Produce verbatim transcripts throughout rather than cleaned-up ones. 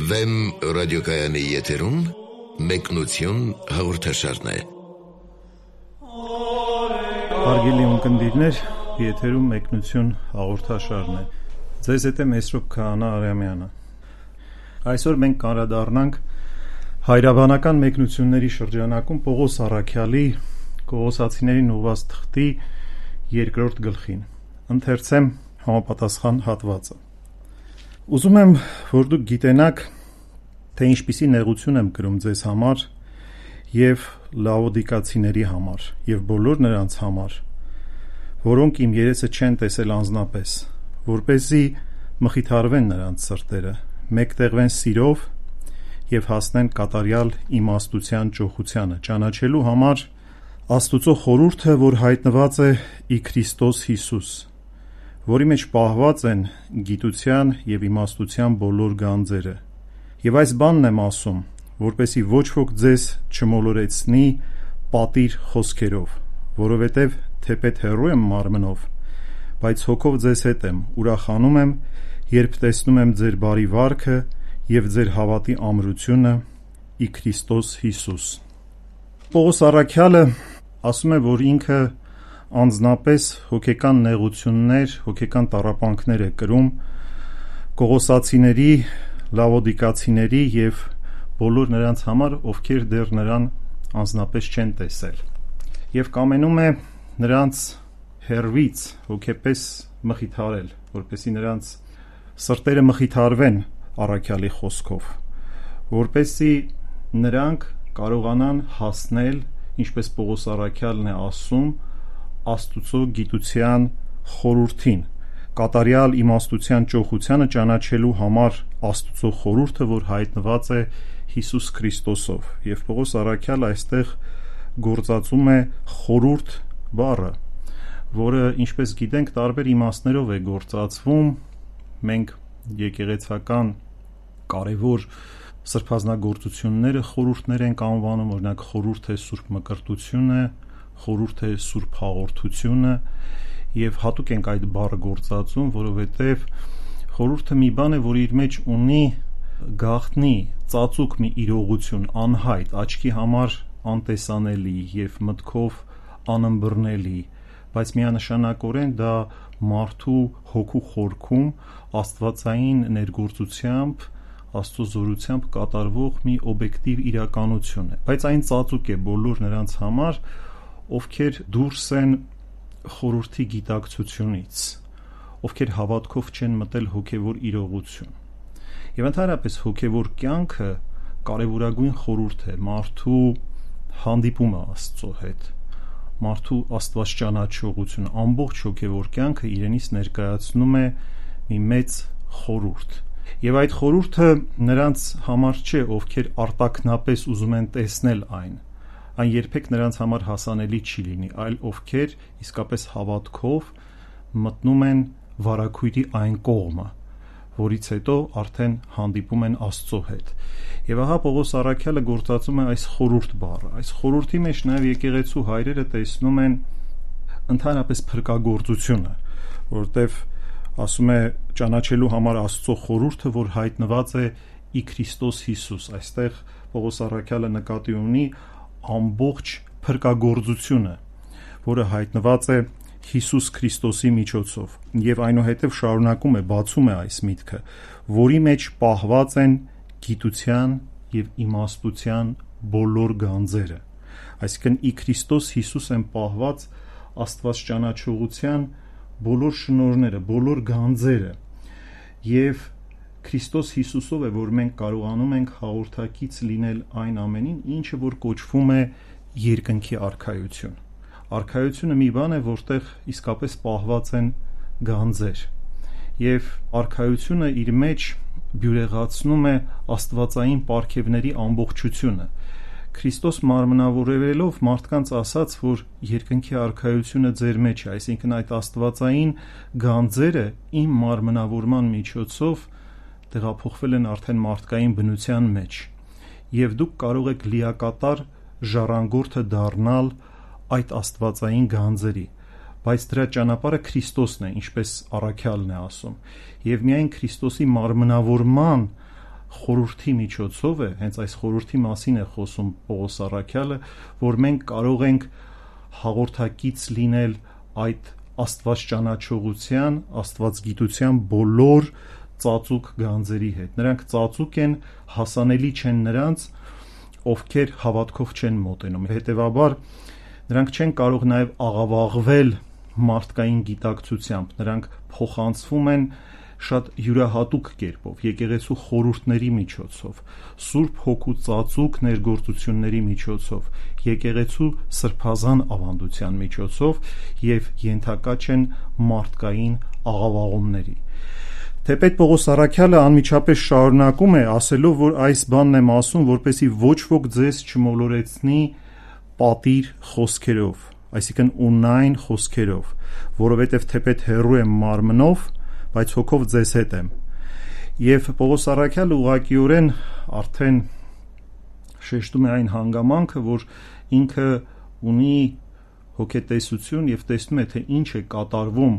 Վեմ ռադիոկայանի եթերում մեկնություն հաղորդաշարն է։ Հարգելի ունկնդիրներ, եթերում մեկնություն հաղորդաշարն է։ Ձեզ հետ է Մեսրոպ Քահանա Արամյանը։ Այսօր մենք կանդրադառնանք հայրաբանական մեկնությունների շրջանակում Պողոս առաքյալի Կողոսացիներին ուղղված թղթի երկրորդ գլխին։ Ընթերցեմ համապատասխան հատվածը։ Ուզում եմ, որ դուք գիտենաք, թե ինչպիսի նեղություն եմ կրում ձեզ համար և լաոդիկացիների համար և բոլոր նրանց համար, որոնք իմ երեսը չեն տեսել անձնապես, որպեսզի մխիթարվեն նրանց սրտերը, մեկտեղվեն սիրով և հասնեն կատարյալ իմաստության ճոխությանը, ճանաչելու համար Աստուծո խորհուրդը, որ հայտնված է ի Քրիստոս Հիսուս, որի մեջ պահված են գիտության և իմաստության բոլոր գանձերը։ Եվ այս բանն եմ ասում, որպեսզի ոչ ոք ձեզ չմոլորեցնի պատիր խոսքերով, որովհետև թեպետ հեռու եմ մարմնով, բայց հոգով ձեզ հետ եմ, ուրախանում եմ, երբ տեսնում եմ ձեր բարի վարքը և ձեր հավատի ամրությունը ի Քրիստոս Հիսուս։ Պողոս առաքյալը ասում է, որ ինքը անձնապես հոգեկան նեղություններ, հոգեկան տառապանքներ է կրում Կողոսացիների, լաոդիկացիների և բոլոր նրանց համար, ովքեր դեռ նրան անձնապես չեն տեսել, և կամենում է նրանց հեռվից հոգեպես մխիթարել, որպեսզի նրանց սրտերը մխիթարվեն առաքյալի խոսքով, որպեսզի նրանք կարողանան հասնել, ինչպես Պողոս առաքյալն է ասում, Աստուծո գիտության խորհրդին, կատարյալ իմաստության ճոխությանը ճանաչելու համար Աստուծո խորհուրդը, որ հայտնված է Հիսուս Քրիստոսով, և Պողոս առաքյալը այստեղ գործածում է խորհուրդ բառը, որը, ինչպես գիտենք, տարբեր իմաստներով է գործածվում։ Մենք եկեղեցական կարևոր սրբազնագործությունները խորհուրդներ ենք անվանում, օրինակ խորհուրդ է Սուրբ Մկրտությունը, խորհուրդ է Սուրբ Հաղորդությունը, և հատուկ ենք այդ բառը գործածում, որովհետև խորհուրդը մի բան է, որ իր մեջ ունի գաղտնի, ծածուկ մի իրողություն, անհայտ, աչքի համար անտեսանելի և մտքով անըմբռնելի, բայց միանշանակորեն դա մարդու հոգու խորքում աստվածային ներգործությամբ, Աստծո զորությամբ կատարվող մի օբյեկտիվ իրականություն է, բայց այն ծածուկ է բոլոր նրանց համար, ովքեր դուրս են խորհրդի գիտակցությունից, ովքեր հավատքով չեն մտել հոգևոր իրողություն։ Եվ ընդհանրապես հոգևոր կյանքը կարևորագույն խորհուրդ է, մարդու հանդիպումը Աստծո հետ, մարդու աստվածճանաչողությունը, ամբողջ հոգևոր կյանքը իրենից ներկայացնում է մի մեծ խորհուրդ։ Եվ այդ խորհուրդը նրանց համար չէ, ովքեր արտաքնապես ուզում են տեսնել այն, այն երբեք նրանց համար հասանելի չի լինի, այլ ովքեր իսկապես հավատքով մտնում են վարագույրի այն կողմը, որից հետո արդեն հանդիպում են Աստծո հետ։ Եվ ահա Պողոս առաքյալը գործածում է այս խորհուրդ բառը։ Այս խորհրդի մեջ նաև եկեղեցու հայրերը տեսնում են ընդհանրապես փրկagorցությունը, որտեղ ասում է ճանաչելու համար Աստծո խորհուրդը, որ հայտնված է ի Քրիստոս Հիսուս։ Այստեղ Պողոս առաքյալը նկատի ունի ամբողջ փրկagorցությունը, որը հայտնված է Հիսուս Քրիստոսի միջոցով, եւ այնուհետև շարունակում է, բացում է այս միտքը, որի մեջ պահված են գիտության եւ իմաստության բոլոր գանձերը։ Այսինքն ի Քրիստոս Հիսուս են պահված աստվածճանաչողության բոլոր շնորհները, բոլոր գանձերը, եւ Քրիստոս Հիսուսով է, որ մենք կարողանում ենք հաղորդակից լինել այն ամենին, ինչը որ կոչվում է երկնքի արքայություն։ Արքայությունը մի բան է, որտեղ իսկապես պահված են գանձեր, եւ արքայությունը իր մեջ բյուրեղացնում է աստվածային պարգևների ամբողջությունը։ Քրիստոս մարմնավորվելով մարդկանց ասաց, որ երկնքի արքայությունը ձեր մեջ է, այսինքն այդ աստվածային գանձերը իմ մարմնավորման միջոցով տեղափոխվել են արդեն մարդկային բնության մեջ, եւ դուք կարող եք լիակատար ժառանգորդը դառնալ այդ աստվածային գանձերի, բայց դրա ճանապարհը Քրիստոսն է, ինչպես առաքյալն է ասում, եւ միայն Քրիստոսի մարմնավորման խորհրդի միջոցով է, հենց այս խորհրդի մասին է խոսում Պողոս առաքյալը, որ մենք կարող ենք հաղորդակից լինել այդ Աստված ճանաչողության, աստվածգիտության բոլոր ծածուկ գանձերի հետ։ Նրանք ծածուկ են, հասանելի չեն նրանց, ովքեր հավատքով չեն մոտենում։ Հետևաբար նրանք չեն կարող նաև աղավաղվել մարդկային գիտակցությամբ, նրանք փոխանցվում են շատ յուրահատուկ կերպով, եկեղեցու խորհուրդների միջոցով, Սուրբ Հոգու ծածուկ ներգործությունների միջոցով, եկեղեցու սրբազան ավանդության միջոցով եւ ենթակա չեն մարդկային աղավաղումների։ Թեպետ Պողոս առաքյալը անմիջապես շարունակում է ասելով, որ այս բանն եմ ասում, որպեսզի ոչ ոք ձեզ չմոլորեցնի պատիր խոսքերով, այսինքն ունայն խոսքերով, որովհետեւ թեպետ հեռու եմ մարմնով, բայց հոգով ձեզ հետ եմ։ Եվ Պողոս առաքյալը ուղղակիորեն արդեն շեշտում է այն հանգամանքը, որ ինքը ունի հոգետեսություն եւ տեսնում է, թե ինչ է կատարվում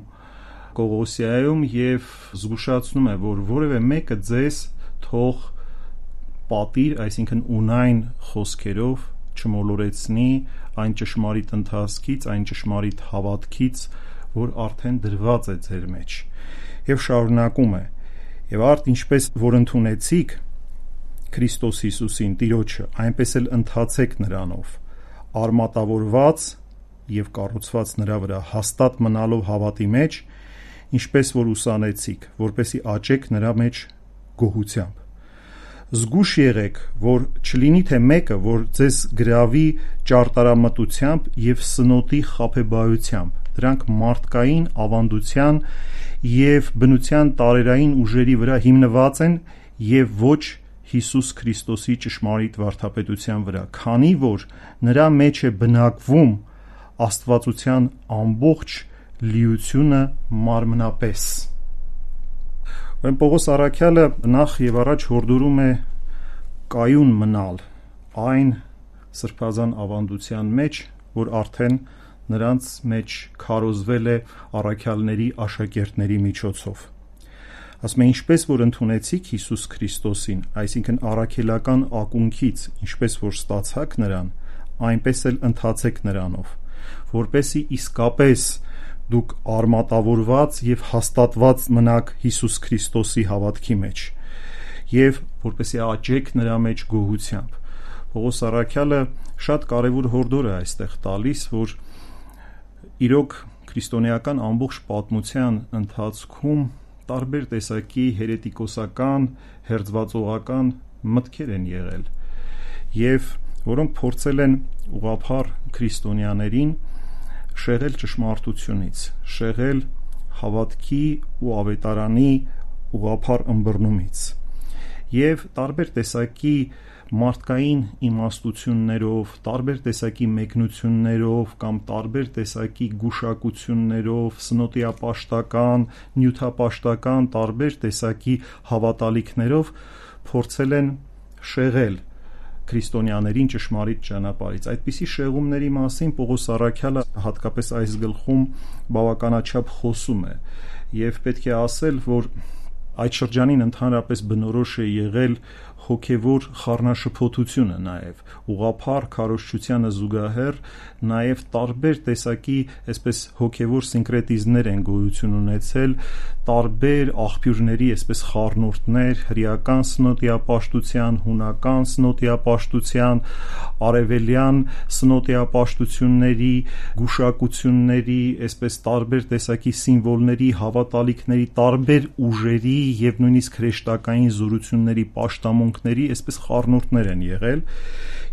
Կողոսիայում եւ զգուշացնում է, որ որևէ մեկը ձեզ թող պատիր, այսինքն ունայն խոսքերով չմոլորեցնի այն ճշմարիտ ընթացքից, այն ճշմարիտ հավատքից, որ արդեն դրված է ձեր մեջ։ Եվ շարունակում է. եւ արդ ինչպես որ ընդունեցիք Քրիստոս Հիսուսին Տիրոջը, այնպես էլ ընթացեք նրանով, արմատավորված եւ կառուցված նրա վրա, հաստատ մնալով հավատի մեջ, ինչպես որ ուսանեցիք, որպեսի աճեք նրա մեջ գոհությամբ։ Զգուշ եղեք, որ չլինի թե մեկը, որ ձեզ գրավի ճարտարամտությամբ եւ սնոտի խաբեբայությամբ, դրանք մարդկային ավանդության եւ բնության տարերային ուժերի վրա հիմնված են եւ ոչ Հիսուս Քրիստոսի ճշմարիտ վարդապետության վրա, քանի որ նրա մեջ է բնակվում աստվածության ամբողջ լիությունը մարմնապես։ Ուրեմն Պողոս առաքյալը նախ եւ առաջ հորդորում է կայուն մնալ այն սրբազան ավանդության մեջ, որ արդեն նրանց մեջ քարոզվել է առաքյալների աշակերտների միջոցով։ Ասում է, ինչպես որ ընդունեցիք Հիսուս Քրիստոսին, այսինքն առաքելական ակունքից, ինչպես որ ստացաք նրան, այնպես էլ ընթացեք նրանով, որպեսզի իսկապես դուք արմատավորված եւ հաստատված մնաք Հիսուս Քրիստոսի հավատքի մեջ եւ որպեսզի աճեք նրա մեջ գոհությամբ։ Պողոս առաքյալը շատ կարեւոր հորդոր է այստեղ տալիս, որ իրոք քրիստոնեական ամբողջ պատմության ընթացքում տարբեր տեսակի հերետիկոսական, հերձվածողական մտքեր են եղել եւ որոնք փորձել են ուղղափառ քրիստոնյաներին շեղել ճշմարտությունից, շեղել հավատքի ու ավետարանի ուղղափառ ըմբռնումից եւ տարբեր տեսակի մարդկային իմաստություններով, տարբեր տեսակի մեկնություններով կամ տարբեր տեսակի գուշակություններով, սնոտիապաշտական, նյութապաշտական, տարբեր տեսակի հավատալիքներով փորձել են շեղել քրիստոնյաներին ճշմարիտ ճանապարհից։ Այդպիսի շեղումների մասին Պողոս առաքյալը հատկապես այս գլխում բավականաչափ խոսում է եւ պետք է ասել, որ այդ շրջանին ընդհանրապես բնորոշ է եղել հոգևոր խառնաշփոթությունը նաև ուղղափառ քարոզչությանը զուգահեռ նաև տարբեր տեսակի այսպես հոգևոր սինկրետիզմներ են գոյություն ունեցել, տարբեր աղբյուրների այսպես խառնուրդներ, հրեական սնոտիապաշտության, հունական սնոտիապաշտության, արևելյան սնոտիապաշտությունների, գուշակությունների, այսպես տարբեր տեսակի սիմվոլների, հավատալիքների, տարբեր ուժերի եւ նույնիսկ հրեշտակային զորությունների պաշտամունքների այսպես խառնուրդներ են եղել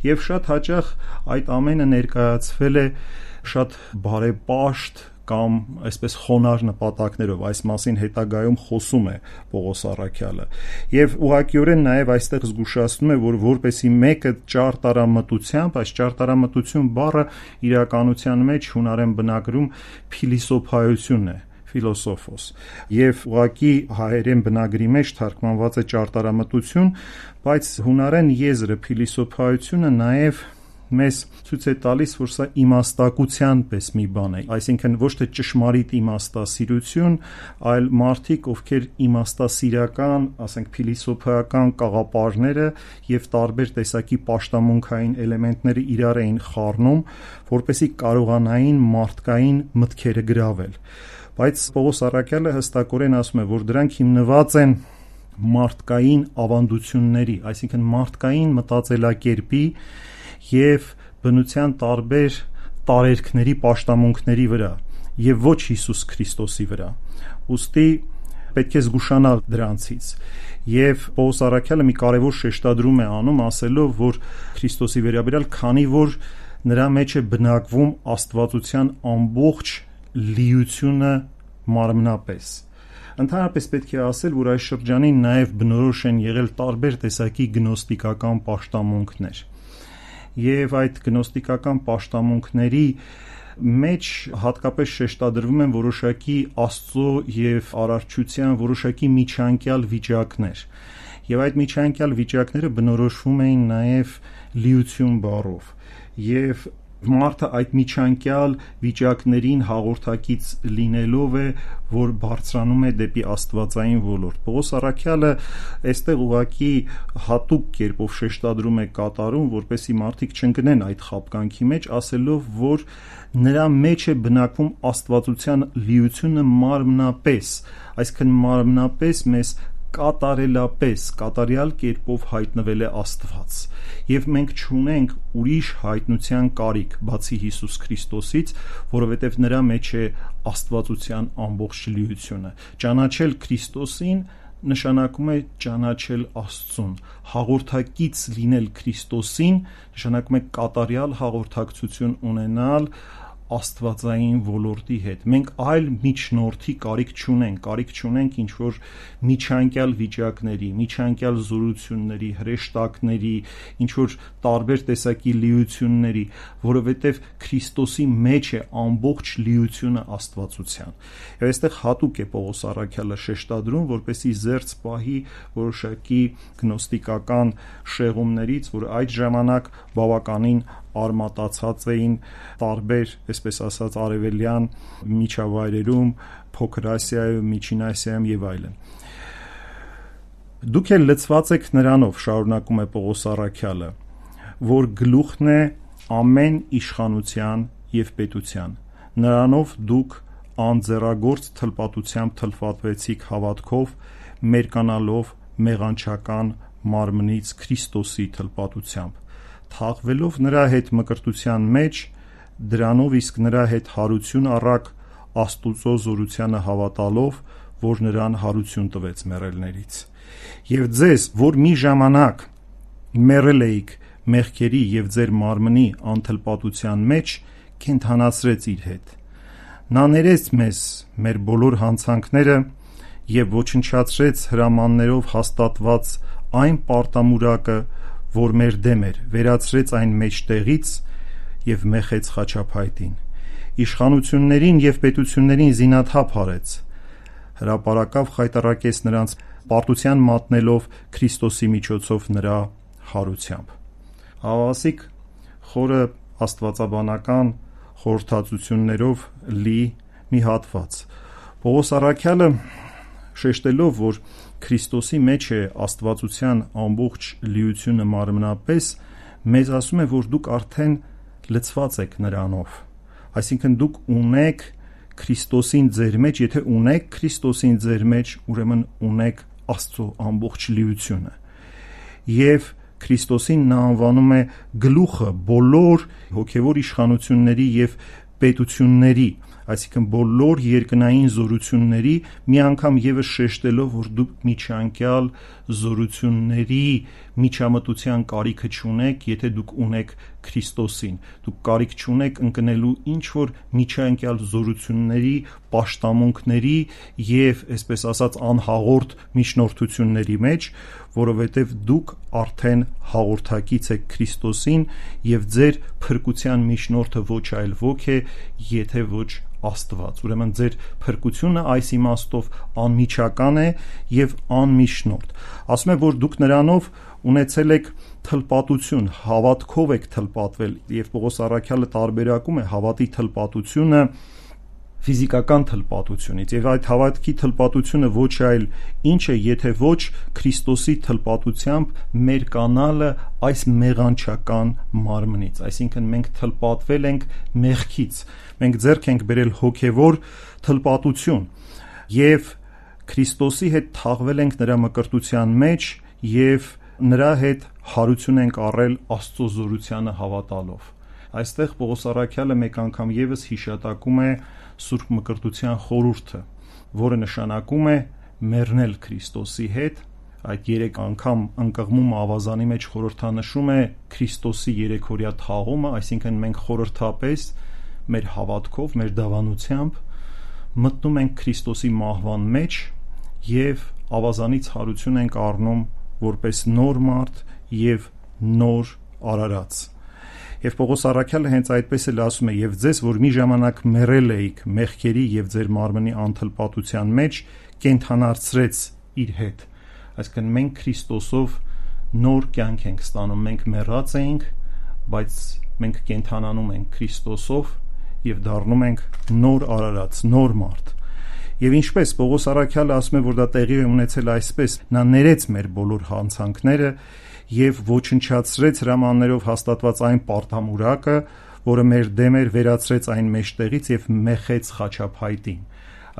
եւ շատ հաճախ այդ ամենը ներկայացվել է շատ բարեպաշտ, կամ այսպես խոնար նպատակներով, այս մասին հետագայում խոսում է Պողոս առաքյալը։ Եվ ուղղակիորեն նաև այստեղ զգուշացնում է, որ որպեսի մեկը ճարտարամտությամբ, այս ճարտարամտություն բառը իրականության մեջ հունարեն բնագրում փիլիսոփայություն է, ֆիլոսոֆոս, եւ ուղղակի հայերեն բնագրի մեջ թարգմանված է ճարտարամտություն, բայց հունարեն եզրը փիլիսոփայությունը նաև մեզ ցույց է տալիս, որ սա իմաստակության պես մի բան է, այսինքն ոչ թե ճշմարիտ իմաստասիրություն, այլ մարդիկ, ովքեր իմաստասիրական, ասենք փիլիսոփայական կաղապարները եւ տարբեր տեսակի պաշտամունքային էլեմենտները իրար էին խառնում, որպեսզի կարողանային մարդկային մտքերը գրավել։ Բայց Պողոս առաքյալը հստակորեն ասում է, որ դրանք հիմնված են մարդկային ավանդությունների, այսինքն մարդկային մտածելակերպի եւ բնության տարբեր տարերքների պաշտամունքների վրա եւ ոչ Հիսուս Քրիստոսի վրա։ Ուստի պետք է զգուշանալ դրանցից։ Եվ Պողոս առաքյալը մի կարևոր շեշտադրում է անում, ասելով, որ Քրիստոսի վերաբերյալ, քանի որ նրա մեջ է բնակվում աստվածության ամբողջ լիությունը մարմնապես։ Ընդհանրապես պետք է ասել, որ այս շրջանին նաև բնորոշ են եղել տարբեր տեսակի գնոստիկական պաշտամունքներ։ Եվ այդ գնոստիկական պաշտամունքների մեջ հատկապես շեշտադրվում են որոշակի Աստծո եւ արարչության որոշակի միջանկյալ վիճակներ։ Եվ այդ միջանկյալ վիճակները բնորոշվում էին նաև լիություն բառով։ Եվ մարդը այդ միջանկյալ վիճակներին հաղորդակից լինելով է, որ բարձրանում է դեպի աստվածային ոլորտ։ Պողոս առաքյալը այստեղ ուղղակի հատուկ կերպով շեշտադրում է կատարում, որպեսզի մարդիկ չընկնեն այդ խաբկանքի մեջ, ասելով, որ նրա մեջ է բնակվում աստվածության լիությունը մարմնապես, այսինքն մարմնապես մեզ կատարելապես, կատարյալ կերպով հայտնվել է Աստված։ Եվ մենք չունենք ուրիշ հայտնության կարիք, բացի Հիսուս Քրիստոսից, որովհետև նրա մեջ է աստվածության ամբողջ լիությունը։ Ճանաչել Քրիստոսին նշանակում է ճանաչել Աստծուն, հաղորդակից լինել Քրիստոսին նշանակում է կատարյալ հաղորդակցություն ունենալ աստվածային ոլորտի հետ։ Մենք այլ միջնորդի կարիք չունենք, կարիք չունենք ինչ որ միջանկյալ վիճակների, միջանկյալ զորությունների, հրեշտակների, ինչ որ տարբեր տեսակի լիությունների, որովհետև Քրիստոսի մեջ է ամբողջ լիությունը աստվածության։ Եվ այստեղ հատուկ է Պողոս առաքյալը շեշտադրում, որպեսզի զերծ պահի որոշակի գնոստիկական շեղումներից, որ այդ ժամանակ բավականին արմատացած էին տարբեր, այսպես ասած, արևելյան միջավայրերում, Փոքր Ասիայում, Միջին Ասիայում եւ այլն։ Դուք էլ լցված եք նրանով, շարունակում է Պողոս առաքյալը, որ գլուխն է ամեն իշխանության եւ պետության։ Նրանով դուք անձեռագործ թլպատությամբ թլպատվեցիք հավատքով, մերկանալով մեղանչական մարմնից Քրիստոսի թլպատությամբ, թաղվելով նրա հետ մկրտության մեջ, դրանով իսկ նրա հետ հարություն առաք Աստուծո զորությանը հավատալով, որ նրան հարություն տվեց մեռելներից։ Եվ ձեզ, որ մի ժամանակ մեռել էիք մեղքերի եւ ձեր մարմնի անթլպատության մեջ, կենդանացրեց իր հետ։ Նա ներեց մեզ մեր բոլոր հանցանքները եւ ոչնչացրեց հրամաններով հաստատված այն պարտամուրակը, որ մեր դեմ էր, վերացրեց այն մեջտեղից եւ մեխեց խաչափայտին։ Իշխանություններին եւ պետություններին զինաթափ արեց, հրապարակավ խայտառակեց նրանց պարտության մատնելով Քրիստոսի միջոցով նրա հարությամբ։ Հավասիկ խորը աստվածաբանական խորհրդածություններով լի մի հատված։ Պողոս առաքյալը շեշտելով, որ Քրիստոսի մեջ է աստվածության ամբողջ լիությունը մարմնապես, մեզ ասում է, որ դուք արդեն լցված եք նրանով։ Այսինքն դուք ունեք Քրիստոսին ձեր մեջ, եթե ունեք Քրիստոսին ձեր մեջ, ուրեմն ունեք Աստծո ամբողջ լիությունը։ Եվ Քրիստոսին նա անվանում է գլուխը բոլոր հոգևոր իշխանությունների եւ պետությունների, այսինքն բոլոր երկնային զորությունների, մի անգամ եւս շեշտելով, որ դուք միջանկյալ զորությունների միջամտության կարիքը չունեք, եթե դուք ունեք Քրիստոսին։ Դուք կարիք չունեք ընկնելու ինչ-որ միջանկյալ զորությունների, պաշտամունքների եւ, այսպես ասած, անհաղորդ միջնորդությունների մեջ, որովհետեւ դուք արդեն հաղորդակից եք Քրիստոսին եւ ձեր փրկության միջնորդը ոչ այլ ոք է, եթե ոչ Աստված։ Ուրեմն ձեր փրկությունը այս իմաստով անմիջական է եւ անմիջնորդ։ Ասում է, որ դուք նրանով ունեցել եք թլպատություն, հավատքով եք թլպատվել, եւ Պողոս առաքյալը տարբերակում է հավատի թլպատությունը ֆիզիկական թլպատությունից, եւ այդ հավատքի թլպատությունը ոչ այլ ինչ է, եթե ոչ Քրիստոսի թլպատությամբ մեր կանալը այս մեղանչական մարմնից, այսինքն մենք թլպատվել ենք մեղքից, մենք ձեռք ենք բերել հոգևոր թլպատություն եւ Քրիստոսի հետ թաղվել ենք նրա մկրտության մեջ եւ նրա հետ հարություն ենք առել Աստծո զորությանը հավատալով։ Այստեղ Պողոս առաքյալը մեկ անգամ եւս հիշատակում է Սուրբ Մկրտության խորհուրդը, որը նշանակում է մեռնել Քրիստոսի հետ։ Այդ երեք անգամ ընկղմումը ավազանի մեջ խորհրդանշում է Քրիստոսի երեքօրյա թաղումը, այսինքն մենք խորհրդապես մեր հավատքով, մեր դավանությամբ մտնում ենք Քրիստոսի մահվան մեջ եւ ավազանից հարություն ենք առնում որպես նոր մարդ եւ նոր արարած։ Եվ Պողոս առաքյալը հենց այդպես էլ ասում է, եւ ձեզ, որ մի ժամանակ մեռել էիք մեղքերի եւ ձեր մարմնի անթլպատության մեջ, կենդանացրեց իր հետ։ Այսինքն մենք Քրիստոսով նոր կյանք ենք ստանում, մենք մեռած էինք, բայց մենք կենդանանում ենք Քրիստոսով եւ դառնում ենք նոր արարած, նոր մարդ։ Եվ ինչպես Պողոս առաքյալը ասում է, որ դա տեղի է ունեցել այսպես, նա ներեց մեր բոլոր հանցանքները եւ ոչնչացրեց հրամաններով հաստատված այն պարտամուրակը, որը մեր դեմ էր, վերացրեց այն մեջտեղից եւ մեխեց խաչափայտին։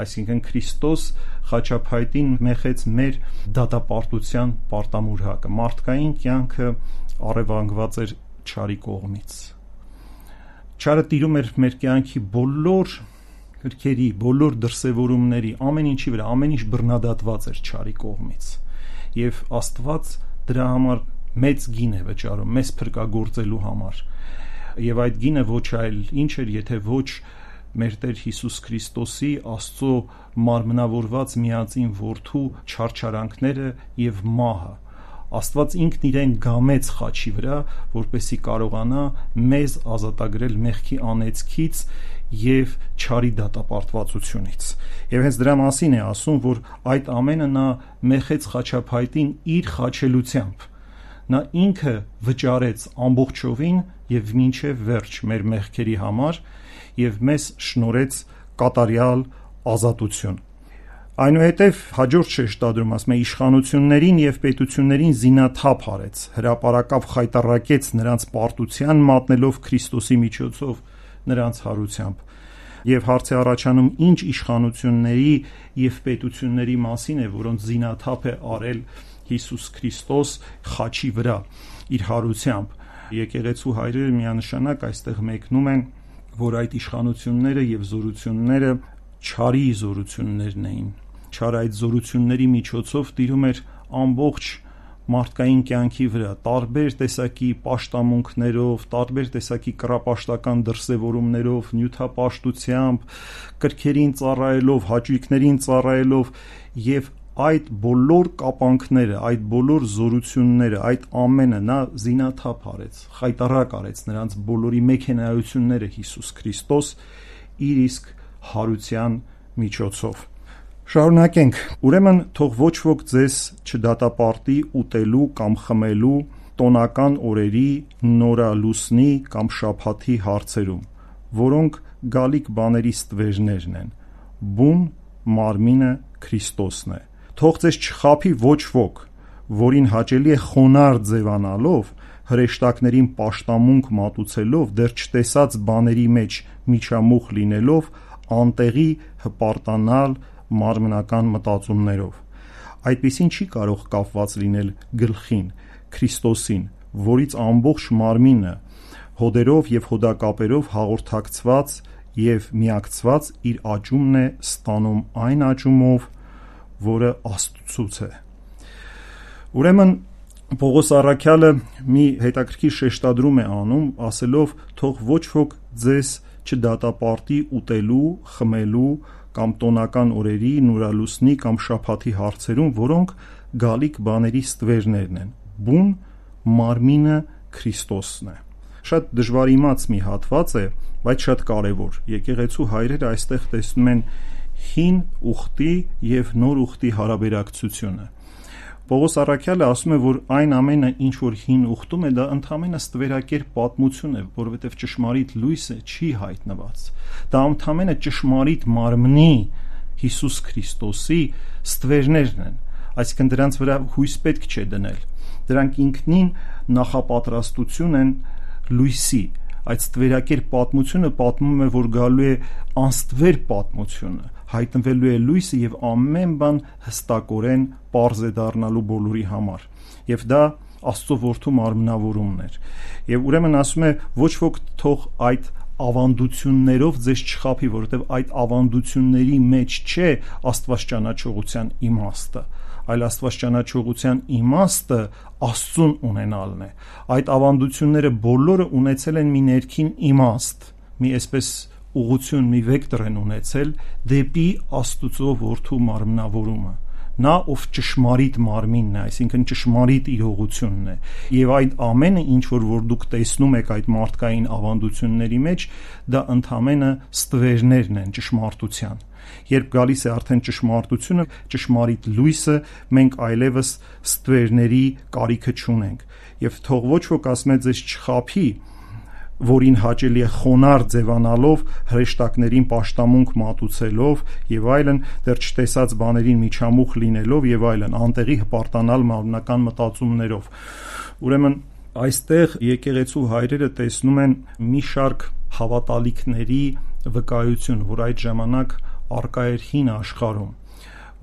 Այսինքն Քրիստոս խաչափայտին մեխեց մեր դատապարտության պարտամուրակը։ Մարդկային կյանքը առևանգված էր չարի կողմից։ Չարը տիրում էր մեր կյանքի բոլոր գրքերի, բոլոր դրսևորումների, ամեն ինչի վրա, ամեն ինչ բռնադատված էր չարի կողմից։ Եվ Աստված դրա համար մեծ գին է վճարում մեզ փրկagorցելու համար։ Եվ այդ գինը ոչ այլ ինչ էր, եթե ոչ մեր Տեր Հիսուս Քրիստոսի Աստծո մարմնավորված միածին որդու չարչարանքները եւ մահը։ Աստված ինքն իրեն գամեց խաչի վրա, որպեսզի կարողանա մեզ ազատագրել մեղքի անեծքից եւ չարի դատապարտվածությունից։ Եվ հենց դրա մասին է ասում, որ այդ ամենը նա մեխեց խաչափայտին իր խաչելությամբ։ Նա ինքը վճարեց ամբողջովին եւ մինչեւ վերջ մեր մեղքերի համար եւ մեզ շնորհեց կատարյալ ազատություն։ Այնուհետև հաջորդ շեշտադրում ասում է իշխանություններին եւ պետություններին զինաթափ արեց, հրապարակավ խայտառակեց նրանց պարտության մատնելով Քրիստոսի միջոցով նրանց հարությամբ։ Եվ հարց է առաջանում, ինչ իշխանությունների եւ պետությունների մասին է, որոնց զինաթափ է արել Հիսուս Քրիստոս խաչի վրա իր հարությամբ։ Եկեղեցու հայրերը միանշանակ այստեղ մեկնում են, որ այդ իշխանությունները եւ զորությունները չարի զորություններն էին։ Չարը այդ զորությունների միջոցով տիրում էր ամբողջ մարդկային կյանքի վրա, տարբեր տեսակի պաշտամունքներով, տարբեր տեսակի կռապաշտական դրսևորումներով, նյութապաշտությամբ, կրքերին ծառայելով, հաճույքներին ծառայելով եւ այդ բոլոր կապանքները, այդ բոլոր զորությունները, այդ ամենը նա զինաթափ արեց, խայտառակ արեց նրանց բոլորի մեքենայությունները Հիսուս Քրիստոս իր իսկ հարության միջոցով։ Շարունակենք։ Ուրեմն թող ոչ ոք ձեզ չդատապարտի ուտելու կամ խմելու տոնական օրերի, նորալուսնի կամ շաբաթի հարցերում, որոնք գալիք բաների ստվերներն են։ Բուն մարմինը Քրիստոսն է։ Թող ձեզ չխաբի ոչ ոք, որին հաճելի է խոնարհ ձևանալով, հրեշտակներին պաշտամունք մատուցելով, դեռ չտեսած բաների մեջ միջամուխ լինելով, անտեղի հպարտանալ մարմնական մտածումներով։ Այդպիսին չի կարող կապված լինել գլխին, Քրիստոսին, որից ամբողջ մարմինը հոդերով եւ հոդակապերով հաղորդակցված եւ միակցված իր աճումն է ստանում այն աճումով, որը Աստծուց է։ Ուրեմն Պողոս առաքյալը մի հետաքրքիր շեշտադրում է անում, ասելով, թող ոչ ոք ձեզ չդատապարտի ուտելու, խմելու կամ տոնական օրերի, նորալուսնի կամ շաբաթի հարցերում, որոնք գալիք բաների ստվերներն են։ Բուն մարմինը Քրիստոսն է։ Շատ դժվար իմաց մի հատված է, բայց շատ կարևոր։ Եկեղեցու հայրերը այստեղ տեսնում են հին ուխտի եւ նոր ուխտի հարաբերակցությունը։ Պողոս առաքյալը ասում է, որ այն ամենը, ինչ որ հին ուխտում է, դա ընդհանրապես ստվերակերպ պատմություն է, որովհետև ճշմարիտ լույսը չի հայտնված։ Դա ընդհանրապես ճշմարիտ մարմնի Հիսուս Քրիստոսի ստվերներն են, այսինքն դրանց վրա հույս պետք չէ դնել։ Դրանք ինքնին նախապատրաստություն են լույսի։ Այդ ստվերակերպ պատմությունը պատմում է, որ գալու է անստվեր պատմությունը, հայտնվելու է լույսը եւ ամեն բան հստակորեն պարզ է դառնալու բոլորի համար։ Եվ դա Աստծո որդու մարմնավորումն էր։ Եվ ուրեմն ասում է, ոչ ոք թող այդ ավանդություններով ձեզ չխաբի, որովհետև այդ ավանդությունների մեջ չէ աստվածճանաչողության իմաստը, այլ աստվածճանաչողության իմաստը Աստծուն ունենալն է։ Այդ ավանդությունները բոլորը ունեցել են մի ներքին իմաստ, մի այսպես ուղղություն, մի վեկտոր են ունեցել դեպի Աստծո որդու մարմնավորումը։ Նա, ով ճշմարիտ մարմինն է, այսինքն ճշմարիտ իրողությունն է, եւ այդ ամենը, ինչ որ որ դուք տեսնում եք այդ մարդկային ավանդությունների մեջ, դա ընդհանրապես ստվերներն են ճշմարտության։ Երբ գալիս է արդեն ճշմարտությունը, ճշմարիտ լույսը, մենք այլևս ստվերների կարիքը չունենք։ Եվ թող ոչ ոք ասում է ձեզ չխաբի, որին հաճելի է խոնար ձևանալով, հրեշտակներին պաշտամունք մատուցելով եւ այլն, դեռ չտեսած բաներին միջամուխ լինելով եւ այլն, անտեղի հպարտանալ մարմնական մտածումներով։ Ուրեմն այստեղ եկեղեցու հայրերը տեսնում են մի շարք հավատալիքների վկայություն, որ այդ ժամանակ արկա էր հին աշխարհում,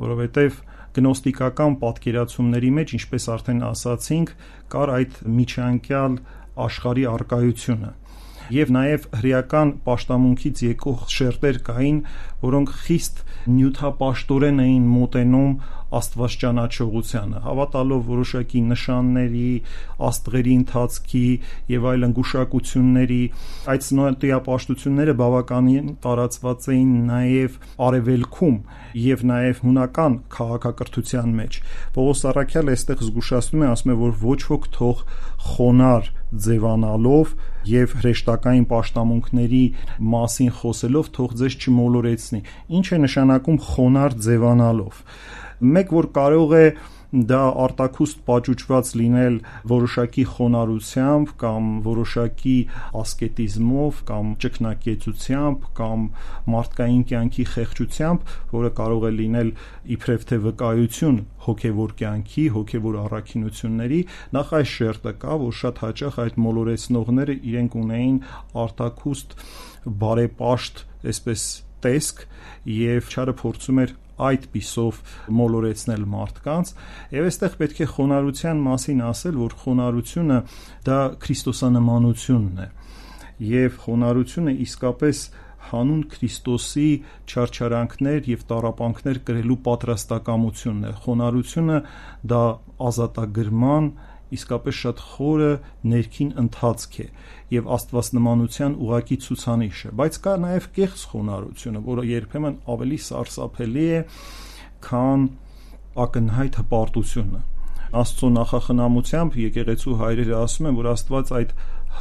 որովհետեւ գնոստիկական պատկերացումների մեջ, ինչպես արդեն ասացինք, կար այդ միջանկյալ աշխարհի արկայությունը եւ նաեւ հրեական պաշտամունքից եկող շերտեր կային, որոնք խիստ նյութապաշտորեն էին մոտենում աստվածճանաչողությանը, հավատալով որոշակի նշանների, աստղերի ընթացքի եւ այլն գուշակությունների։ Այդ նյութապաշտությունները բավականին տարածված էին նաեւ արևելքում եւ նաեւ հունական քաղաքակրթության մեջ։ Պողոս առաքյալը այստեղ զգուշացնում է, ասում է, որ ոչ ոք թող խոնար ձևանալով եւ հրեշտակային պաշտամունքների մասին խոսելով թող ձեզ չմոլորեցնի։ Ինչ է նշանակում խոնար ձևանալով։ Մեկ որ կարող է դա արտաքուստ պաճուճված լինել որոշակի խոնարհությամբ կամ որոշակի ասկետիզմով կամ ճգնակեցությամբ կամ մարդկային կյանքի խեղճությամբ, որը կարող է լինել իբրև թե վկայություն հոգևոր կյանքի, հոգևոր առաքինությունների, նախ այս շերտը կա, որ շատ հաճախ այդ մոլորեցնողները իրենք ունեին արտաքուստ բարեպաշտ, այսպես տեսք, եւ չարը փորձում էր այդ պիսով մոլորեցնել մարդկանց։ Եվ այստեղ պետք է խոնարհության մասին ասել, որ խոնարհությունը դա քրիստոսանմանությունն է, եւ խոնարհությունը իսկապես հանուն Քրիստոսի չարչարանքներ եւ տառապանքներ կրելու պատրաստակամությունն է։ Խոնարհությունը դա ազատագրման իսկապես շատ խորը ներքին ընթացք է եւ աստվածնմանության ուղակի ցուցանիշ է, բայց կա նաեւ կեղծ խոնարհությունը, որը երբեմն ավելի սարսափելի է, քան ակնհայտ հպարտությունը։ Աստծո նախախնամությամբ եկեղեցու հայրերը ասում են, որ Աստված այդ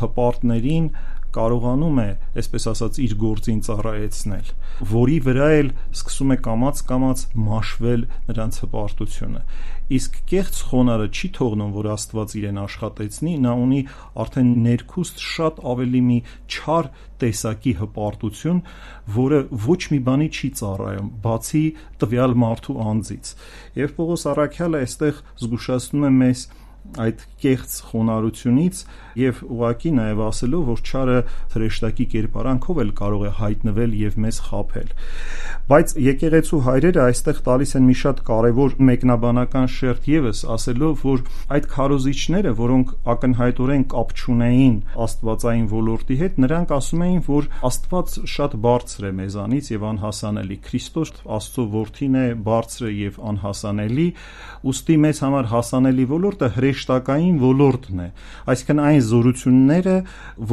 հպարտներին կարողանում է, այսպես ասած, իր գործին ծառայեցնել, որի վրա էլ սկսում է կամաց-կամաց մաշվել նրանց հպարտությունը։ Իսկ կեղծ խոնարհը չի թողնում, որ Աստված իրեն աշխատեցնի, նա ունի արդեն ներքուստ շատ ավելի մի չար տեսակի հպարտություն, որը ոչ մի բանի չի ծառայում, բացի տվյալ մարդու անձից։ Եվ Պողոս առաքյալը այստեղ զգուշացնում է մեզ այդ կեղծ խոնարհությունից եւ ուղղակի նաեւ ասելով, որ չարը հրեշտակի կերպարանքով էլ կարող է հայտնվել եւ մեզ խաբել։ Բայց եկեղեցու հայրերը այստեղ տալիս են մի շատ կարեւոր մեկնաբանական շերտ եւս, ասելով, որ այդ քարոզիչները, որոնք ակնհայտորեն կապ չունեին աստվածային ոլորտի հետ, նրանք ասում էին, որ Աստված շատ բարձր է մեզանից եւ անհասանելի։ Քրիստոս Աստծո որդին է, բարձր եւ անհասանելի, ուստի մեզ համար հասանելի ոլորտը հրեշտակային ոլորտն է, այսինքն այն զորությունները,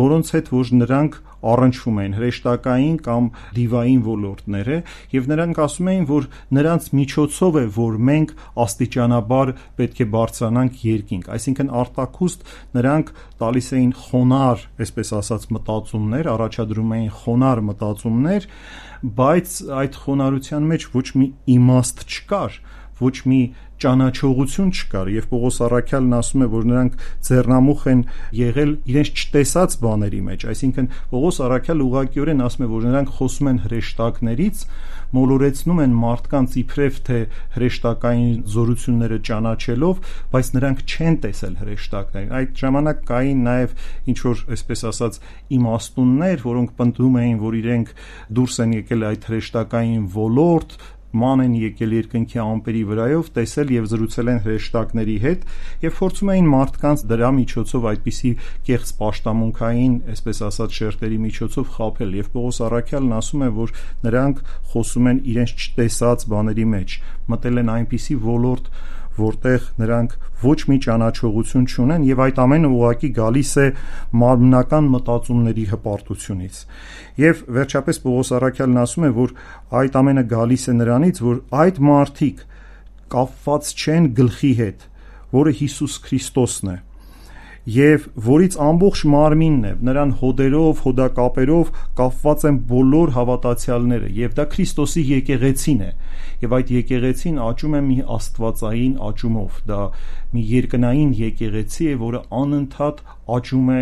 որոնց հետ որ նրանք առնչվում են, հրեշտակային կամ դիվային ոլորտները, եւ նրանք ասում էին, որ նրանց միջոցով է, որ մենք աստիճանաբար պետք է բարձրանանք երկինք, այսինքն արտաքուստ նրանք տալիս էին խոնար, այսպես ասած, մտածումներ, առաջադրում էին խոնար մտածումներ, բայց այդ խոնարհության մեջ ոչ մի իմաստ չկար, ոչ մի ճանաչողություն չկար, եւ Պողոս առաքյալն ասում է, որ նրանք ձեռնամուխ են եղել իրենց չտեսած բաների մեջ, այսինքն Պողոս առաքյալը ուղղակիորեն ասում է, որ նրանք խոսում են հրեշտակներից, մոլորեցնում են մարդկանց իբրև թե հրեշտակային զորությունները ճանաչելով, բայց նրանք չեն տեսել հրեշտակներին։ Այդ ժամանակ կային նաեւ ինչ որ, այսպես ասած, իմաստուններ, որոնք պնդում էին, որ իրենք դուրս են եկել այդ հրեշտակային ոլորտ, ման են եկել երկնքի ամպերի վրայով, տեսել եւ զրուցել են հրեշտակների հետ եւ փորձում էին մարդկանց դրա միջոցով այդպիսի կեղծ պաշտամունքային, այսպես ասած, շերտերի միջոցով խաբել եւ Պողոս առաքյալն ասում է, որ նրանք խոսում են իրենց չտեսած բաների մեջ, մտել են այնպիսի ոլորտ, որտեղ նրանք ոչ մի ճանաչողություն չունեն եւ այդ ամենը ուղղակի գալիս է մարմնական մտածումների հպարտությունից։ Եվ վերջապես Պողոս առաքյալն ասում է, որ այդ ամենը գալիս է նրանից, որ այդ մարդիկ կապված չեն գլխի հետ, որը Հիսուս Քրիստոսն է, եւ որից ամբողջ մարմինն է, նրան հոդերով, հոդակապերով կապված են բոլոր հավատացյալները, եւ դա Քրիստոսի եկեղեցին է, եւ այդ եկեղեցին աճում է մի աստվածային աճումով, դա մի երկնային եկեղեցի է, որը անընդհատ աճում է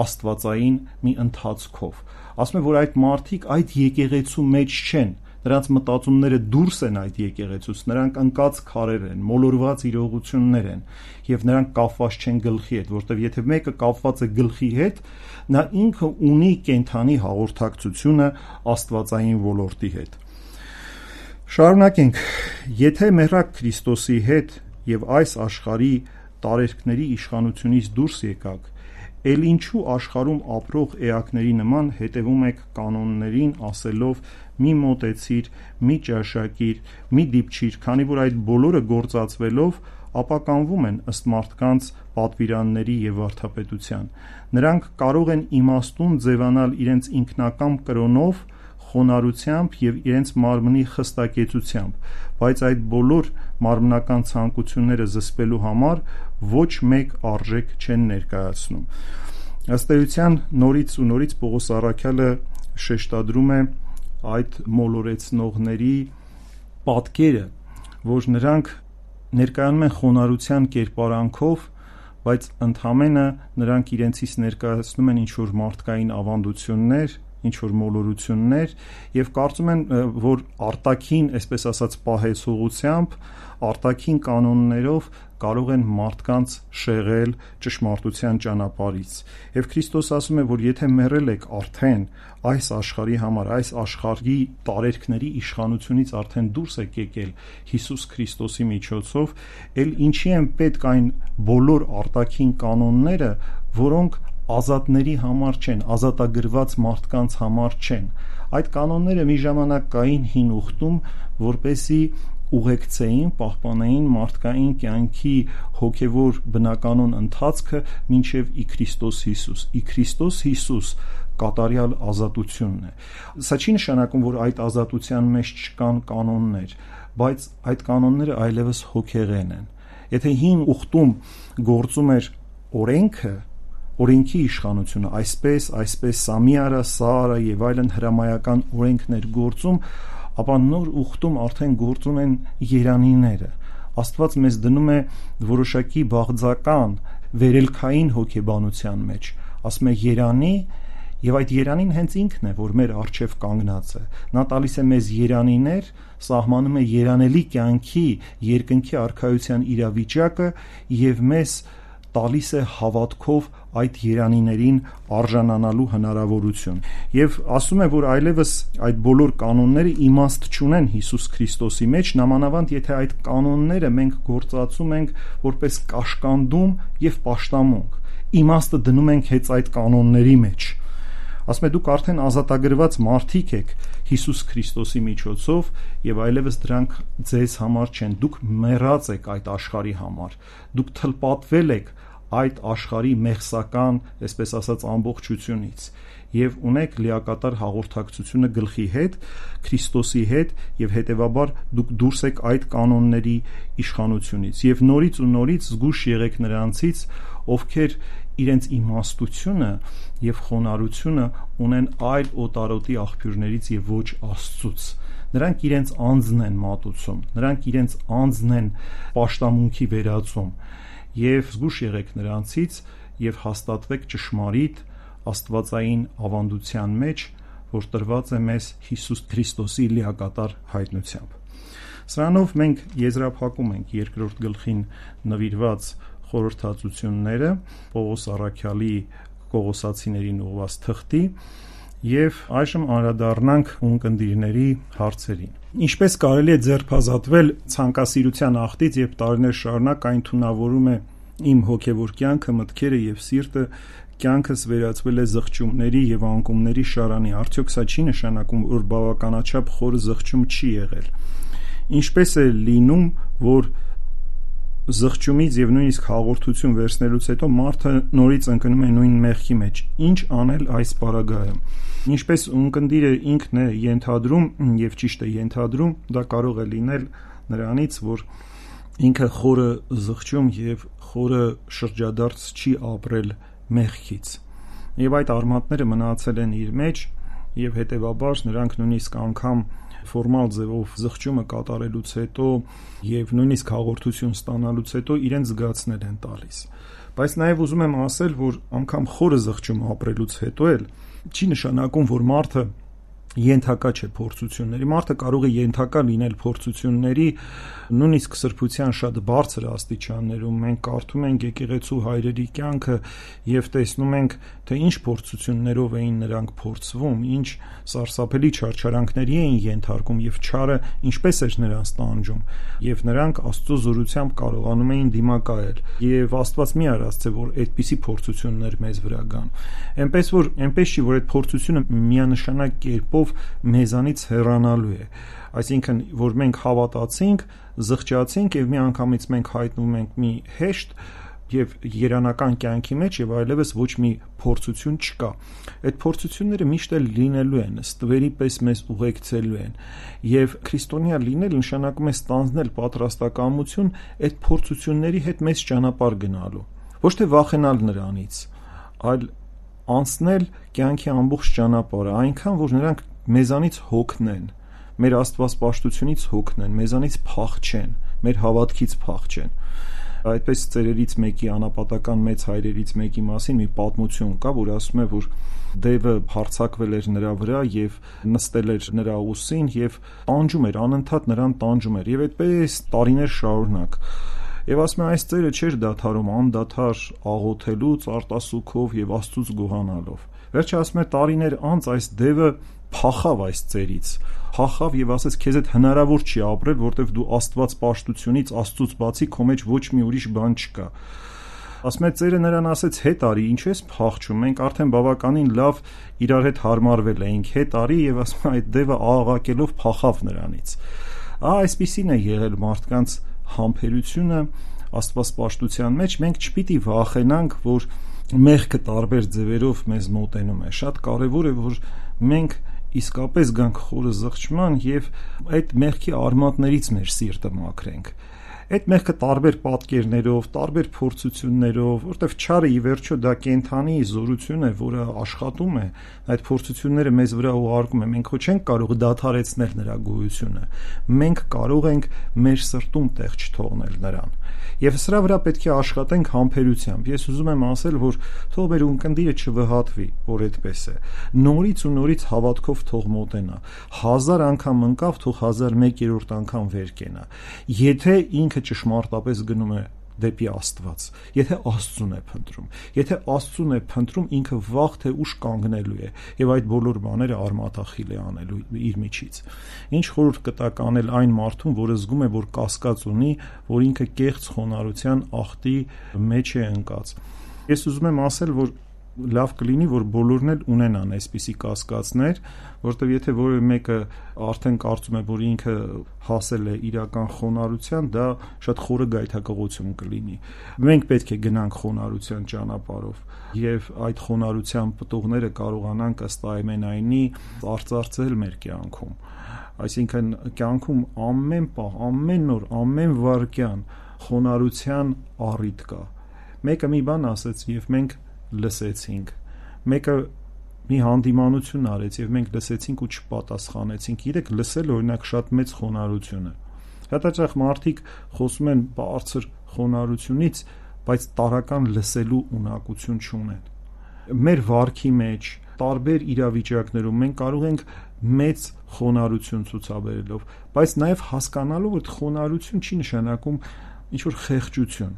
աստվածային մի ընթացքով։ Ասում է, որ այդ մարդիկ այդ եկեղեցու մեջ չեն, նրանց մտածումները դուրս են այդ եկեղեցուց, նրանք ընկած քարեր են, մոլորված իրողություններ են եւ նրանք կապված չեն գլխի հետ, որտեվ եթե մեկը կապված է գլխի հետ, նա ինքը ունի կենթանի հաղորդակցությունը աստվածային ոլորտի հետ։ Շարունակենք, եթե մեռաք Քրիստոսի հետ եւ այս աշխարհի տարերքների իշխանությունից դուրս եկաք, ել ինչու աշխարհում ապրող էակների նման հետևում եք կանոններին, ասելով՝ մի մոտեցիր, մի ճաշակիր, մի դիպչիր, քանի որ այդ բոլորը գործածվելով ապականվում են ըստ մարդկանց պատվիրանների եւ վարդապետության։ Նրանք կարող են իմաստուն ձևանալ իրենց ինքնակամ կրոնով, խոնարհությամբ եւ իրենց մարմնի խստակեցությամբ, բայց այդ բոլոր մարմնական ցանկությունները զսպելու համար ոչ մեկ արժեք չեն ներկայացնում։ Ըստ էության նորից ու նորից Պողոս առաքյալը շեշտադրում է այդ մոլորեցնողների պատկերը, որ նրանք ներկայանում են խոնարհության կերպարանքով, բայց ընդհանրապես նրանք իրենցից ներկայացնում են ինչ-որ մարդկային ավանդություններ, ինչ-որ մոլորություններ եւ կարծում են, որ արտաքին, այսպես ասած, պահեցողությամբ, արտաքին կանոններով կարող են մարդկանց շեղել ճշմարտության ճանապարհից։ Եվ Քրիստոս ասում է, որ եթե մեռել եք արդեն այս աշխարհի համար, այս աշխարհի տարերքների իշխանությունից արդեն դուրս եք եկել Հիսուս Քրիստոսի միջոցով, ել ինչի են պետք այն բոլոր արտաքին կանոնները, որոնք ազատների համար չեն, ազատագրված մարդկանց համար չեն։ Այդ կանոնները մի ժամանակ կային հին ուխտում, որպեսզի ուղեկցեին, պահպանեին մարդկային կյանքի հոգևոր բնականոն ընթացքը մինչև ի Քրիստոս Հիսուս։ Ի Քրիստոս Հիսուս կատարյալ ազատությունն է։ Սա չի նշանակում, որ այդ ազատության մեջ չկան կանոններ, բայց այդ կանոնները այլևս հոգեղեն են։ Եթե հին ուխտում գործում էր օրենքը, օրենքի իշխանությունը, այսպես, այսպես, սա մի արա, սա արա եւ այլն հրամայական օրենքներ գործում, ապա նոր ուխտում արդեն գործում են երանիները։ Աստված մեզ դնում է որոշակի բաղձական, վերելքային հոգեբանության մեջ, ասում է երանի Եվ այդ երանին հենց ինքն է, որ մեր առջև կանգնած է։ Նա տալիս է մեզ երանիներ, սահմանում է երանելի կյանքի, երկնքի արքայության իրավիճակը եւ մեզ տալիս է հավատքով այդ երանիներին արժանանալու հնարավորություն։ Եվ ասում է, որ այլևս այդ բոլոր կանոնները իմաստ չունեն Հիսուս Քրիստոսի մեջ, նամանավանդ եթե այդ կանոնները մենք գործածում ենք որպես կաշկանդում եւ պաշտամունք, իմաստը դնում ենք հենց այդ կանոնների մեջ։ Ասում է, դուք արդեն ազատագրված մարդիկ եք Հիսուս Քրիստոսի միջոցով եւ այլևս դրանք ձեզ համար չեն, դուք մեռած եք այդ աշխարհի համար, դուք թլպատվել եք այդ աշխարհի մեղսական, այսպես ասած, ամբողջությունից եւ ունեք լիակատար հաղորդակցությունը գլխի հետ, Քրիստոսի հետ եւ հետեւաբար դուք դուրս եք այդ կանոնների իշխանությունից եւ նորից ու նորից զգուշ եղեք նրանցից, ովքեր իրենց իմաստությունը եւ խոնարհությունը ունեն այլ օտարոտի աղբյուրներից եւ ոչ Աստծուց։ Նրանք իրենց անձն են մատուցում, նրանք իրենց անձն են պաշտամունքի վերածում եւ զգուշ եղեք նրանցից եւ հաստատվեք ճշմարիտ աստվածային ավանդության մեջ, որ տրված է մեզ Հիսուս Քրիստոսի լիակատար հայտնությամբ։ Սրանով մենք եզրափակում ենք երկրորդ գլխին նվիրված խորհրդածությունները Պողոս առաքյալի Կողոսացիներին ուղղված թղթի եւ այժմ անդրադառնանք ունկնդիրների հարցերին։ Ինչպես կարելի է ձերբազատվել ցանկասիրության աղտից, երբ տարիներ շարունակ այն թունավորում է իմ հոգեվոր կյանքը, մտքերը եւ սիրտը, կյանքս վերածվել է զղջումների եւ անկումների շարանի։ Արդյոք սա չի նշանակում, որ բավականաչափ խորը զղջում չի եղել։ Ինչպես է լինում, որ զղջումից եւ նույնիսկ հաղորդություն վերցնելուց հետո մարդը նորից ընկնում է նույն մեղքի մեջ։ Ինչ անել այս պարագայում։ Ինչպես ունկնդիրը ինքն է ենթադրում եւ ճիշտ է ենթադրում, դա կարող է լինել նրանից, որ ինքը խորը զղջում եւ խորը շրջադարձ չի ապրել մեղքից։ Եվ այդ արմատները մնացել են իր մեջ եւ հետեւաբար նրանք նույնիսկ անգամ ֆորմալ ձևով զղջումը կատարելուց հետո եւ նույնիսկ հաղորդություն ստանալուց հետո իրեն զգացնել են տալիս։ Բայց նաեւ ուզում եմ ասել, որ անգամ խորը զղջում ապրելուց հետո էլ չի նշանակում, որ մարդը ենթակա չէ փորձությունների։ Մարդը կարող է ենթակա լինել փորձությունների նույնիսկ սրբության շատ բարձր աստիճաններում։ Մենք կարդում ենք եկեղեցու հայրերի կյանքը եւ տեսնում ենք, թե ինչ փորձություններով էին նրանք փորձվում, ինչ սարսափելի չարչարանքների էին ենթարկում եւ չարը ինչպես էր նրանց տանջում, եւ նրանք Աստծո զորությամբ կարողանում էին դիմակայել։ Եվ Աստված մի արածե, որ այդպիսի փորձություններ մեզ վրա գան։ Էնպես որ այնպես չի, որ այդ փորձությունը միանշանակ կերպով մեզանից հեռանալու է, այսինքն որ մենք հավատացինք, զղջացինք եւ մի անգամից մենք հայտնվում ենք մի հեշտ եւ երանական կյանքի մեջ եւ այլևս ոչ մի փորձություն չկա։ Այդ փորձությունները միշտ էլ լինելու են, ստվերի պես մեզ ուղեկցելու են եւ քրիստոնյա լինել նշանակում է ստանձնել պատրաստակամություն այդ փորձությունների հետ մեծ ճանապարհ գնալու, ոչ թե վախենալ նրանից, այլ անցնել կյանքի ամբողջ ճանապարհը, այնքան որ նրանք մեզանից հոգնեն, մեր աստվածպաշտությունից հոգնեն, մեզանից փախչեն, մեր հավատքից փախչեն։ Այդպես ծերերից մեկի անապատական մեծ հայրերից մեկի մասին մի պատմություն կա, որ ասում է, որ դևը հարձակվել էր նրա վրա եւ նստել էր նրա ուսին եւ տանջում էր, անընդհատ նրան տանջում էր եւ այդպես տարիներ շարունակ։ Եվ ասում է, այս ծերը չէր դադարում անդադար աղոթելուց, արտասուքով եւ Աստծուց գոհանալով։ Վերջը ասում է, տարիներ անց այս դևը փախավ այս ծերից, փախավ եւ ասեց, քեզ այդ հնարավոր չի ապրել, որտեվ դու Աստված պաշտությունից, Աստծուց բացի քո մեջ ոչ մի ուրիշ բան չկա։ Ասում է, ծերը նրան ասեց, հետ արի, ինչ ես փախչում, մենք արդեն բավականին լավ իրար հետ հարմարվել էինք, հետ արի, եւ ասում է, այդ դևը աղաղակելով փախավ նրանից։ Ահա այսպիսին է եղել մարդկանց համբերությունը աստվածպաշտության մեջ։ Մենք չպիտի վախենանք, որ մեղքը տարբեր ձևերով մեզ մոտենում է։ Շատ կարևոր է, որ մենք իսկապես գանք խորը զղջման եւ այդ մեղքի արմատներից մեր սիրտը մաքրենք։ Այդ մեղքը տարբեր պատկերներով, տարբեր փորձություններով, որտեվ չարը ի վերջո դա կենդանի զորություն է, որը աշխատում է, այդ փորձությունները մեզ վրա ուղարկում է, մենք ոչ չենք կարող դադարեցնել նրա գոյությունը, մենք կարող ենք մեր սրտում տեղ չթողնել նրան, եւ սրա վրա պետք է աշխատենք համբերությամբ։ Ես ուզում եմ ասել, որ թող մեր ունկնդիրը չվհատվի, որ այդպես է, նորից ու նորից հավատքով թող մոտենա, հազար անգամ ընկավ, թող հազար մեկերորդ անգամ վեր կենա, եթե ինքը ճշմարտապես գնում է դեպի Աստված, եթե Աստծուն է փնտրում, եթե Աստծուն է փնտրում, ինքը վաղ թե ուշ կանգնելու է եւ այդ բոլոր բաները արմատախիլ է անելու իր միջից։ Ինչ խորհուրդ կտակ անել այն մարդուն, որը զգում է, որ կասկած ունի, որ ինքը կեղծ խոնարհության ախտի մեջ է ընկած։ Ես ուզում եմ ասել, որ լավ կլինի, որ բոլորն էլ ունենան այսպիսի կասկածներ, որտեղ եթե որևէ մեկը արդեն կարծում է, որ ինքը հասել է իրական խոնարհության, դա շատ խորը գայթակղություն կլինի։ Մենք պետք է գնանք խոնարհության ճանապարհով եւ այդ խոնարհության պտուղները կարողանանք ըստ այնմենայնի արծարծել մեր կյանքում։ Այսինքն կյանքում ամեն պահ, ամեն օր, ամեն վայրկյան խոնարհության առիթ կա։ Մեկը մի բան ասեց եւ մենք լսեցինք, մեկը մի հանդիմանություն արեց եւ մենք լսեցինք ու չպատասխանեցինք։ Իրեք լսել օրինակ շատ մեծ խոնարհություն է։ Հատաճախ մարդիկ խոսում են բարձր խոնարհությունից, բայց տարական լսելու ունակություն չունեն։ Մեր վարքի մեջ տարբեր իրավիճակներում մենք կարող ենք մեծ խոնարհություն ցուցաբերելով, բայց նաեւ հասկանալով, որ խոնարհություն չի նշանակում ինչ որ խեղճություն։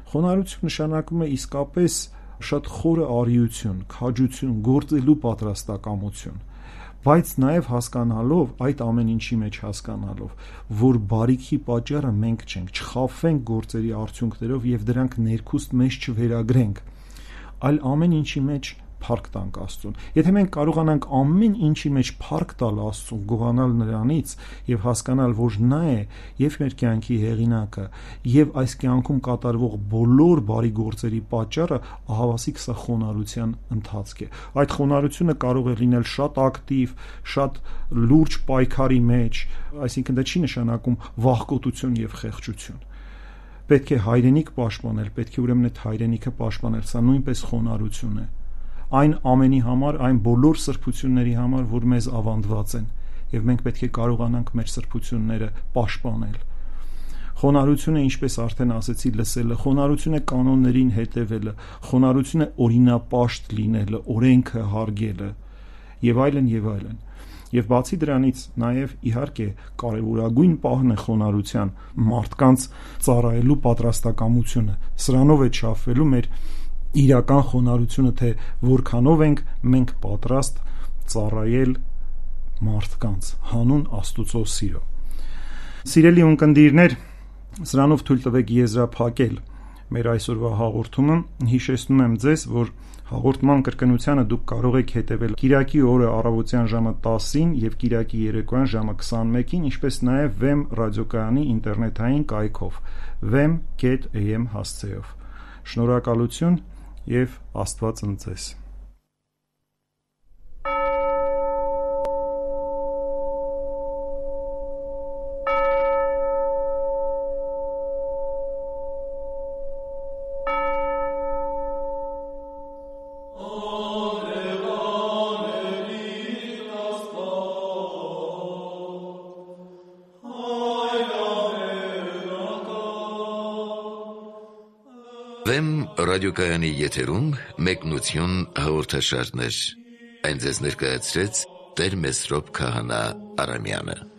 Խոնարհություն նշանակում է իսկապես շատ խորը արիություն, քաջություն, գործելու պատրաստակամություն, բայց նաև հասկանալով, այդ ամեն ինչի մեջ հասկանալով, որ բարիքի պատճառը մենք չենք, չխաբվենք գործերի արդյունքներով եւ դրանք ներքուստ մեզ չվերագրենք, այլ ամեն ինչի մեջ փառք տանք Աստծուն։ Եթե մենք կարողանանք ամեն ինչի մեջ փառք տալ Աստծուն, գոհանալ նրանից եւ հասկանալ, որ նա է եւ մեր կյանքի հեղինակը եւ այս կյանքում կատարվող բոլոր բարի գործերի պատճառը, ահավասիկ սա խոնարհության ընթացք է։ Այդ խոնարհությունը կարող է լինել շատ ակտիվ, շատ լուրջ պայքարի մեջ, այսինքն դա չի նշանակում վախկոտություն եւ խեղճություն։ Պետք է հայրենիք պաշտպանել, պետք է ուրեմն այդ հայրենիքը պաշտպանել, սա նույնպես խոնարհություն է։ Այն ամենի համար, այն բոլոր սրբությունների համար, որ մեզ ավանդված են, եւ մենք պետք է կարողանանք մեր սրբությունները պաշտպանել։ Խոնարհությունը, ինչպես արդեն ասեցի, լսելը, խոնարհությունը կանոններին հետևելը, խոնարհությունը օրինապաշտ լինելը, օրենքը հարգելը եւ այլն եւ այլն։ Եվ բացի դրանից նաև իհարկե կարևորագույն պահն է խոնարհության մարդկանց ծառայելու պատրաստակամությունը։ Սրանով է չափվելու մեր իրական խոնարհությունը, թե որքանով ենք մենք պատրաստ ծառայել մարդկանց հանուն Աստուծո սիրո։ Սիրելի ունկնդիրներ, սրանով թույլ տվեք եզրափակել մեր այսօրվա հաղորդումը։ Հիշեցնում եմ ձեզ, որ հաղորդման կրկնությանը դուք կարող եք հետևել Կիրակի օրը առավոտյան ժամը տասին եւ Կիրակի երեկոյան ժամը քսանմեկին, ինչպես նաեւ Վեմ ռադիոկայանի ինտերնետային կայքով վեմ կետ էյ էմ հասցեով։ Շնորհակալություն եւ Աստված ընծես։ Վեմ ռադիոկայանի եթերում մեկնություն հաղորդաշարներ։ Այն ձեզ ներկայացրեց Տեր Մեսրոպ Քահանա Արամյանը։